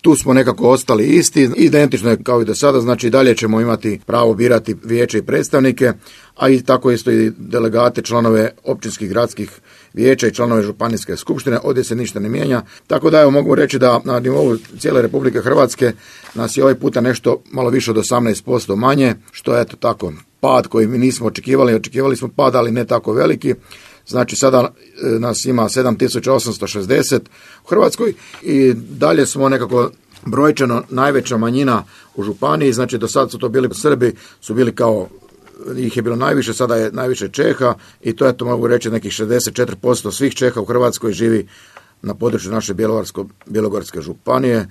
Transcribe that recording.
Tu smo nekako ostali isti, identično je kao i do sada, znači dalje ćemo imati pravo birati vijeće i predstavnike, a i tako isto i delegate, članove općinskih, gradskih vijeća i članove županijske skupštine, ovdje se ništa ne mijenja. Tako da mogu reći da na nivou cijele Republike Hrvatske nas je ovaj puta nešto malo više od 18% manje, što je tako pad koji mi nismo očekivali smo pad, ali ne tako veliki. Znači sada nas ima 7860 u Hrvatskoj i dalje smo nekako brojčano najveća manjina u županiji, znači do sad su to bili Srbi, su bili kao, ih je bilo najviše, sada je najviše Čeha i to je, to mogu reći, nekih 64% svih Čeha u Hrvatskoj živi na području naše Bjelovarsko-bilogorske županije.